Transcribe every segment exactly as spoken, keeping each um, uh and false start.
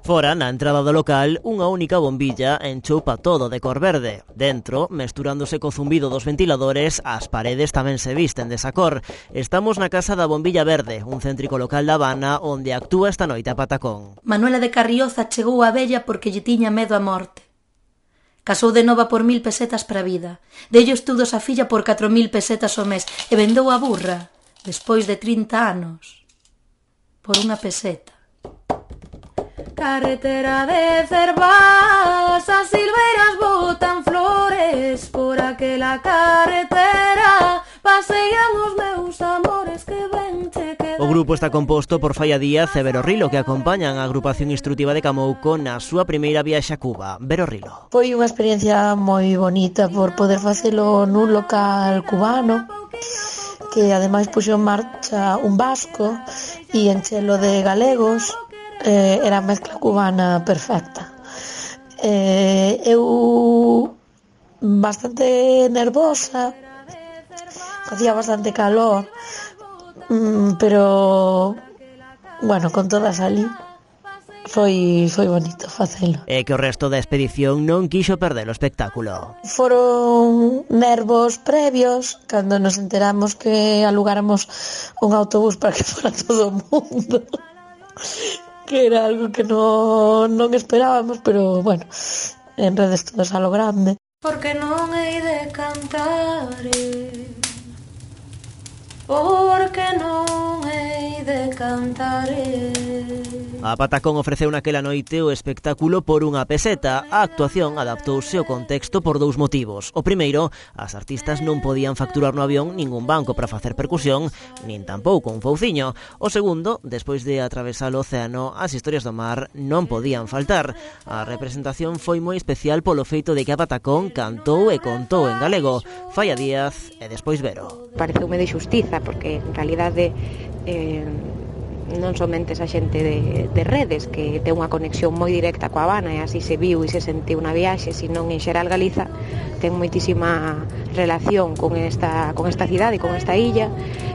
Fora, na entrada do local, unha única bombilla enchoupa todo de cor verde. Dentro, mesturándose co zumbido dos ventiladores, as paredes tamén se visten desa cor. Estamos na Casa da Bombilla Verde, un céntrico local da Habana onde actúa esta noite a Patacón. Manuela de Carrioza chegou a vella porque lle tiña medo a morte. Casou de nova por mil pesetas para a vida. Dello estudos a filla por catro mil pesetas ao mes e vendou a burra, despois de trinta anos, por unha peseta. Carretera de Cervás, as silveiras botan flores, por aquela carretera pasean os meus amores que ven che quedan. O grupo está composto por Falla Díaz e Vero Rilo, que acompañan a agrupación instrutiva de Camouco na súa primeira viaxe a Cuba. Vero Rilo. Foi unha experiencia moi bonita por poder facelo nun local cubano, que ademais puxo en marcha un vasco e enchelo de galegos. Eh, era a mezcla cubana perfecta. Eh, eu bastante nervosa, facía bastante calor, mm, pero bueno, con todas ali foi foi bonito facelo. E que o resto da expedición non quixo perder o espectáculo. Foron nervos previos cando nos enteramos que alugáramos un autobús para que fora todo o mundo. Que era algo que non, non esperábamos, pero bueno, en redes todos a lo grande. Porque non hei de cantar, porque non hei de cantar. A Patacón ofreceu naquela noite o espectáculo por unha peseta. A actuación adaptouse ao contexto por dous motivos. O primeiro, as artistas non podían facturar no avión ningún banco para facer percusión, nin tampouco un fouciño. O segundo, despois de atravesar o océano, as historias do mar non podían faltar. A representación foi moi especial polo feito de que a Patacón cantou e contou en galego. Falla Díaz e despois Vero. Pareceume de xustiza, porque en realidade eh, non somente esa xente de, de redes que ten unha conexión moi directa coa Habana e así se viu e se sentiu na viaxe, senón en xeral Galiza ten moitísima relación con esta, con esta cidade, con esta illa,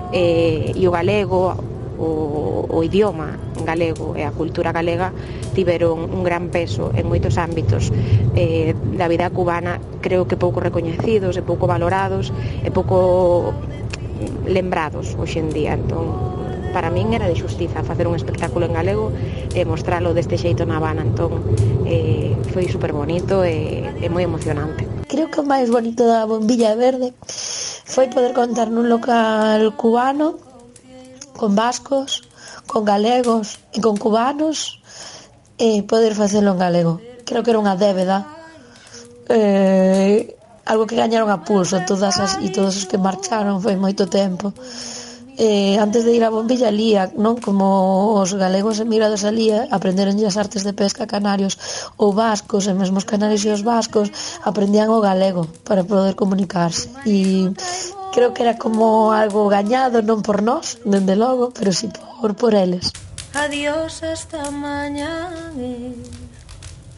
eh, e o galego, o, o idioma galego e a cultura galega tiveron un gran peso en moitos ámbitos eh, da vida cubana, creo que pouco recoñecidos e pouco valorados e pouco lembrados hoxe en día. Entón, para min era de xustiza facer un espectáculo en galego e mostralo deste xeito na Habana. Entón, eh, foi super bonito e, e moi emocionante. Creo que o máis bonito da Bombilla Verde foi poder contar nun local cubano, con vascos, con galegos e con cubanos, e poder facelo en galego. Creo que era unha débeda, eh, algo que gañaron a pulso todas as, e todos os que marcharon foi moito tempo. Eh, antes de ir a Bombilla lía, non? Como os galegos emigrados alí aprenderon as artes de pesca canarios ou vascos, e mesmo os canarios e os vascos aprendían o galego para poder comunicarse, e creo que era como algo gañado, non por nós, dende logo, pero si por, por eles. Adiós hasta mañana,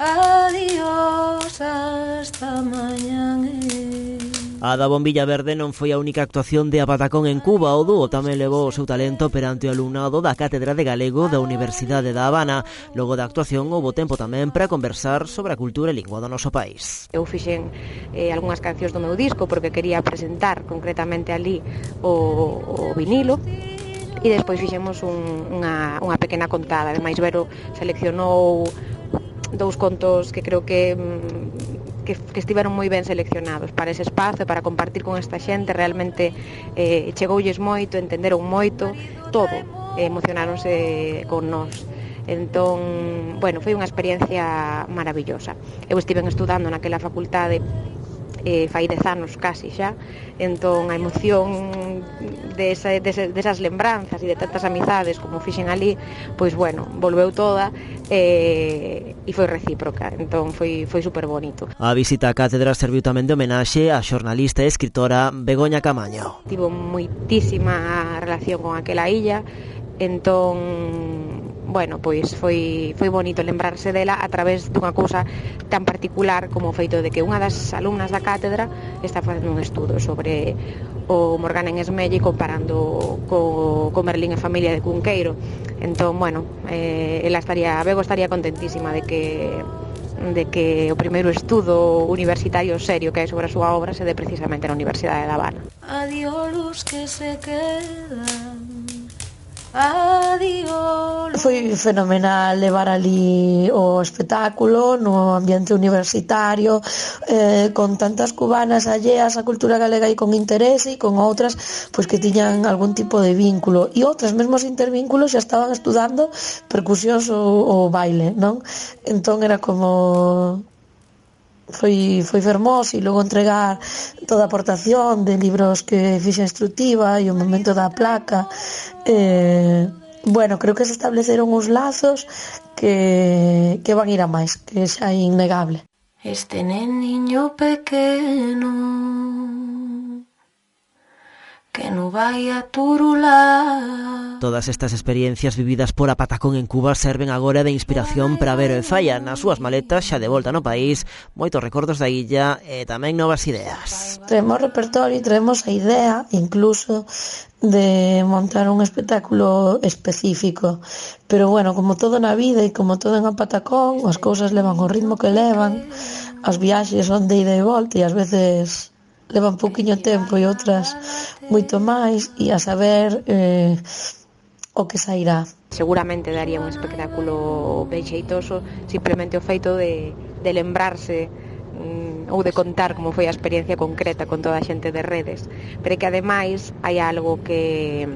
adiós hasta mañana. A da Bombilla Verde non foi a única actuación de a Patacón en Cuba. O dúo tamén levou o seu talento perante o alumnado da Cátedra de Galego da Universidade da Habana. Logo da actuación houbo tempo tamén para conversar sobre a cultura e lingua do noso país. Eu fixen eh, algunhas cancións do meu disco porque quería presentar concretamente ali o, o vinilo, e despois fixemos un, unha, unha pequena contada. Ademais, Vero seleccionou dous contos que creo que que, que estiveron moi ben seleccionados para ese espazo, para compartir con esta xente. Realmente eh, chegoulles moito, entenderon moito todo, eh, emocionáronse con nós. Entón, bueno, foi unha experiencia maravillosa. Eu estive estudando naquela facultade eh, fai dez anos casi xa, entón a emoción de, esa, de, ese, de esas lembranzas e de tantas amizades como fixen ali, pois bueno, volveu toda eh, e foi recíproca, entón foi, foi super bonito. A visita á cátedra serviu tamén de homenaxe á xornalista e escritora Begoña Camaño. Tivo moitísima relación con aquela illa, entón bueno, pois foi, foi bonito lembrarse dela a través dunha cousa tan particular como o feito de que unha das alumnas da cátedra está facendo un estudo sobre o Morgana en Esmelle comparando co, co Merlín e familia de Cunqueiro. Entón, bueno, eh, ela estaría, Bego estaría contentísima de que de que o primeiro estudo universitario serio que hai sobre a súa obra se dé precisamente na Universidade de La Habana. Adiós luz que se quedan. Adiós. Foi fenomenal levar ali o espectáculo no ambiente universitario, eh, con tantas cubanas alleas á cultura galega e con interese, e con outras pois que tiñan algún tipo de vínculo, e outras mesmos intervínculos xa estaban estudando percusións ou, ou baile, non? Entón era como foi, foi fermoso, e logo entregar toda a aportación de libros que fixa instructiva e o momento da placa. eh, bueno, creo que se estableceron uns lazos que, que van ir a máis, que xa é innegable. Este neniño pequeno que no vai a turular. Todas estas experiencias vividas por a Patacón en Cuba serven agora de inspiración para Vero e Falla nas súas maletas xa de volta no país, moitos recordos da illa e tamén novas ideas. Traemos repertorio e traemos a idea incluso de montar un espectáculo específico, pero bueno, como todo na vida e como todo en a Patacón, as cousas levan o ritmo que levan, as viaxes son de ida e volta e ás veces levan pouquiño tempo e outras moito máis, e a saber eh, o que sairá. Seguramente daría un espectáculo ben xeitoso simplemente o feito de, de lembrarse mm, ou de contar como foi a experiencia concreta con toda a xente de redes, pero que ademais hai algo que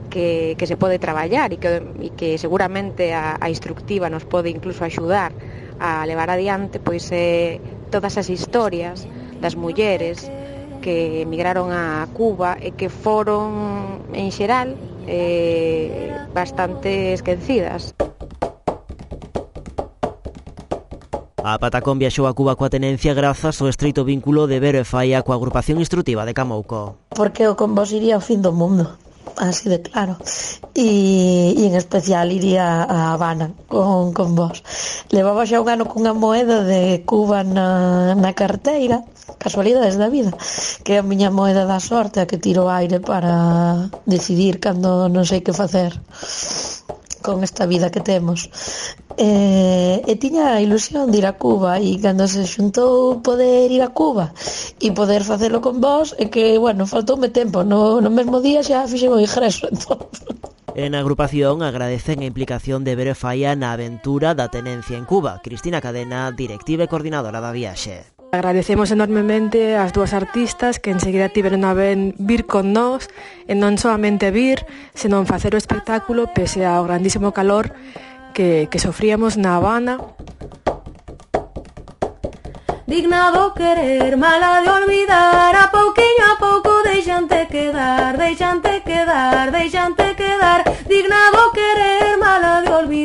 que, que se pode traballar e que, e que seguramente a, a instructiva nos pode incluso axudar a levar adiante, pois é eh, todas as historias das mulleres que emigraron a Cuba e que foron, en xeral, eh, bastante esquecidas. A Patacón viaxou a Cuba coa tenencia grazas ao estreito vínculo de Vero e Falla coa agrupación instructiva de Camouco. Porque o con vos iría ao fin do mundo, así de claro, e, e en especial iría a Habana con, con vos. Levaba xa un ano cunha moeda de Cuba na, na carteira, casualidades da vida, que é a miña moeda da sorte, a que tiro aire para decidir cando non sei que facer con esta vida que temos. E, e tiña a ilusión de ir a Cuba, e cando se xuntou poder ir a Cuba e poder facelo con vos, é que, bueno, faltoume tempo, no, no mesmo día xa fixen o ingreso, entón. En a agrupación agradecen a implicación de Vero e Falla na aventura da tenencia en Cuba. Cristina Cadena, directiva e coordinadora da viaxe. Agradecemos enormemente ás dúas artistas que enseguida tiveron a ben vir con nós, e non solamente vir, senón facer o espectáculo pese ao grandísimo calor que, que sofríamos na Habana. Dignado querer, mala de olvidar, a pouquiño a pouco deixante quedar, deixante quedar, deixante quedar. Dignado querer, mala de olvidar.